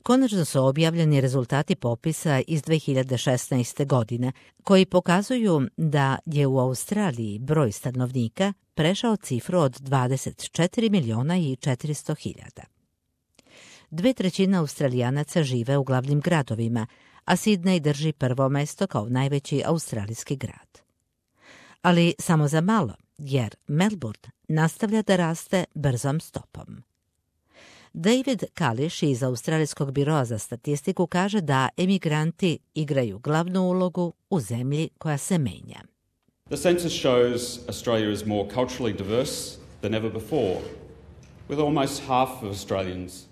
Konačno su objavljeni rezultati popisa iz 2016. godine, koji pokazuju da je u Australiji broj stanovnika prešao cifru od 24 miliona i 400 hiljada. 2/3 Australijanaca žive u glavnim gradovima, a Sidney drži prvo mesto kao najveći australijski grad. Ali samo za malo, jer Melbourne nastavlja da raste brzom stopom. David Kališ iz Australijskog biroa za statistiku kaže da emigranti igraju glavnu ulogu u zemlji koja se menja. The census shows Australia is more culturally diverse than ever before, with almost half of Australians.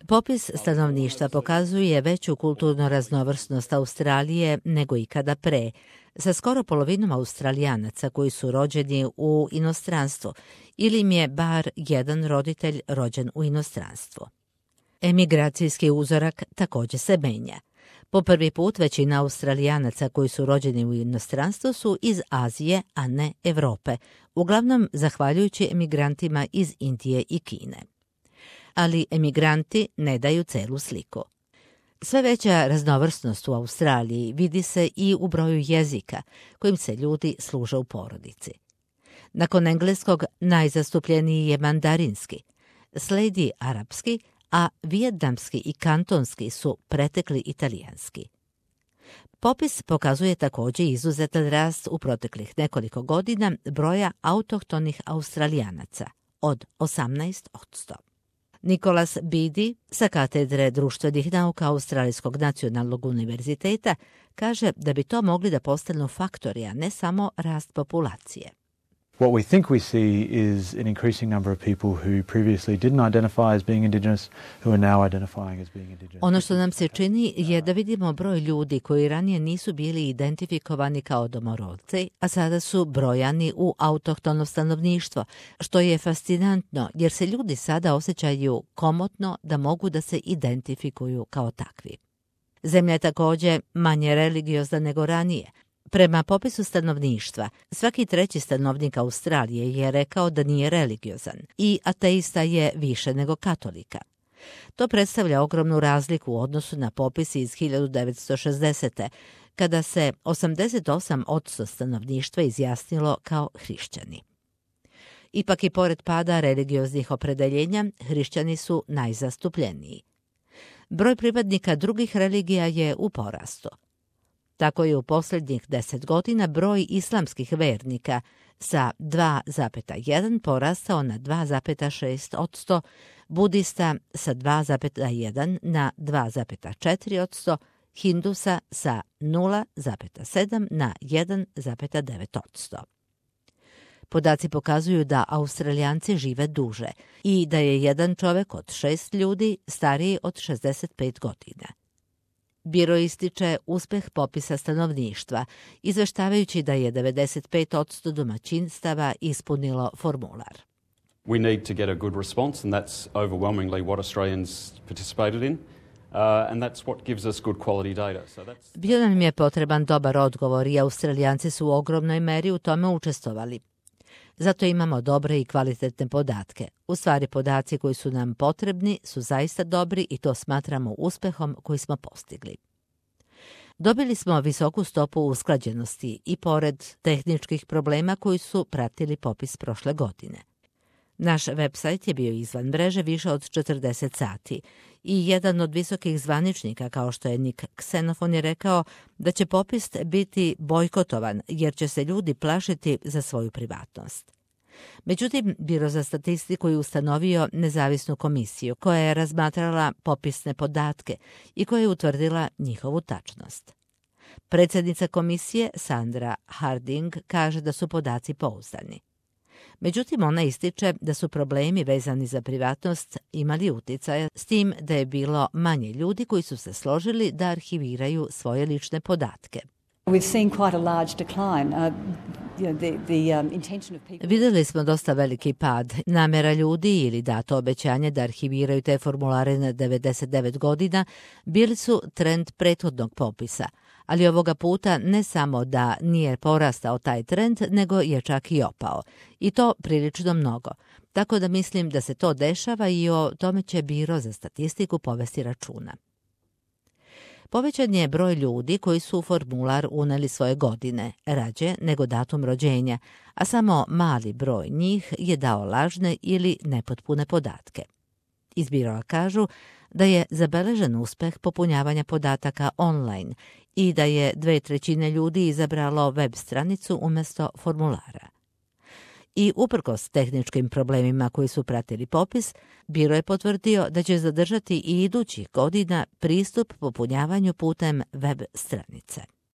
Popis stanovništva pokazuje veću kulturnu raznovrsnost Australije nego ikada pre, sa skoro polovinom Australijanaca koji su rođeni u inostranstvu ili im je bar jedan roditelj rođen u inostranstvu. Emigracijski uzorak također se menja. Po prvi put većina Australijanaca koji su rođeni u inostranstvu su iz Azije, a ne Evrope, uglavnom zahvaljujući emigrantima iz Indije i Kine. Ali emigranti ne daju celu sliku. Sve veća raznovrsnost u Australiji vidi se i u broju jezika kojim se ljudi služe u porodici. Nakon engleskog najzastupljeniji je mandarinski, sledi arapski, a vijetnamski i kantonski su pretekli italijanski. Popis pokazuje također izuzetan rast u proteklih nekoliko godina broja autohtonih Australijanaca od 18%. Nicholas Beattie sa katedre društvenih nauka Australijskog nacionalnog univerziteta kaže da bi to mogli da postanu faktori, a ne samo rast populacije. What we think we see is an increasing number of people who previously didn't identify as being Indigenous, who are now identifying as being Indigenous. Ono što nam se čini je da vidimo broj ljudi koji ranije nisu bili identifikovani kao domorodci, a sada su brojani u autohtono stanovništvo, što je fascinantno jer se ljudi sada osjećaju komotno da mogu da se identifikuju kao takvi. Zemlja je također manje religiozna nego ranije. Prema popisu stanovništva, svaki treći stanovnik Australije je rekao da nije religiozan i ateista je više nego katolika. To predstavlja ogromnu razliku u odnosu na popis iz 1960. kada se 88% stanovništva izjasnilo kao hrišćani. Ipak i pored pada religioznih opredeljenja, hrišćani su najzastupljeniji. Broj pripadnika drugih religija je u porastu. Tako je u posljednjih 10 godina broj islamskih vernika sa 2,1 porastao na 2,6%, budista sa 2,1 na 2,4%, hindusa sa 0,7 na 1,9%. Podaci pokazuju da Australijanci žive duže i da je jedan čovjek od 6 ljudi stariji od 65 godina. Biro ističe uspeh popisa stanovništva, izveštavajući da je 95% domaćinstava ispunilo formular. We need to get a good response, and that's overwhelmingly what Australians participated in. And that's what gives us good quality data. Bio nam je potreban dobar odgovor i Australijanci su u ogromnoj meri u tome učestvovali. Zato imamo dobre i kvalitetne podatke. U stvari, podaci koji su nam potrebni su zaista dobri i to smatramo uspehom koji smo postigli. Dobili smo visoku stopu usklađenosti i pored tehničkih problema koji su pratili popis prošle godine. Naš website je bio izvan mreže više od 40 sati i jedan od visokih zvaničnika, kao što je Nick Xenophon, je rekao da će popis biti bojkotovan jer će se ljudi plašiti za svoju privatnost. Međutim, Biro za statistiku je ustanovio nezavisnu komisiju koja je razmatrala popisne podatke i koja je utvrdila njihovu tačnost. Predsjednica komisije Sandra Harding kaže da su podaci pouzdani. Međutim, ona ističe da su problemi vezani za privatnost imali utjecaja s tim da je bilo manje ljudi koji su se složili da arhiviraju svoje lične podatke. Vidjeli smo dosta veliki pad. Namjera ljudi ili dato obećanje da arhiviraju te formulare na 99 godina bili su trend prethodnog popisa, ali ovoga puta ne samo da nije porastao taj trend, nego je čak i opao. I to prilično mnogo. Tako da mislim da se to dešava i o tome će Biro za statistiku povesti računa. Povećan je broj ljudi koji su u formular uneli svoje godine, rađe nego datum rođenja, a samo mali broj njih je dao lažne ili nepotpune podatke. Iz Biroa kažu da je zabeležen uspeh popunjavanja podataka online i da je 2/3 ljudi izabralo web stranicu umjesto formulara. I uprkos tehničkim problemima koji su pratili popis, Biro je potvrdio da će zadržati i idućih godina pristup popunjavanju putem web stranice.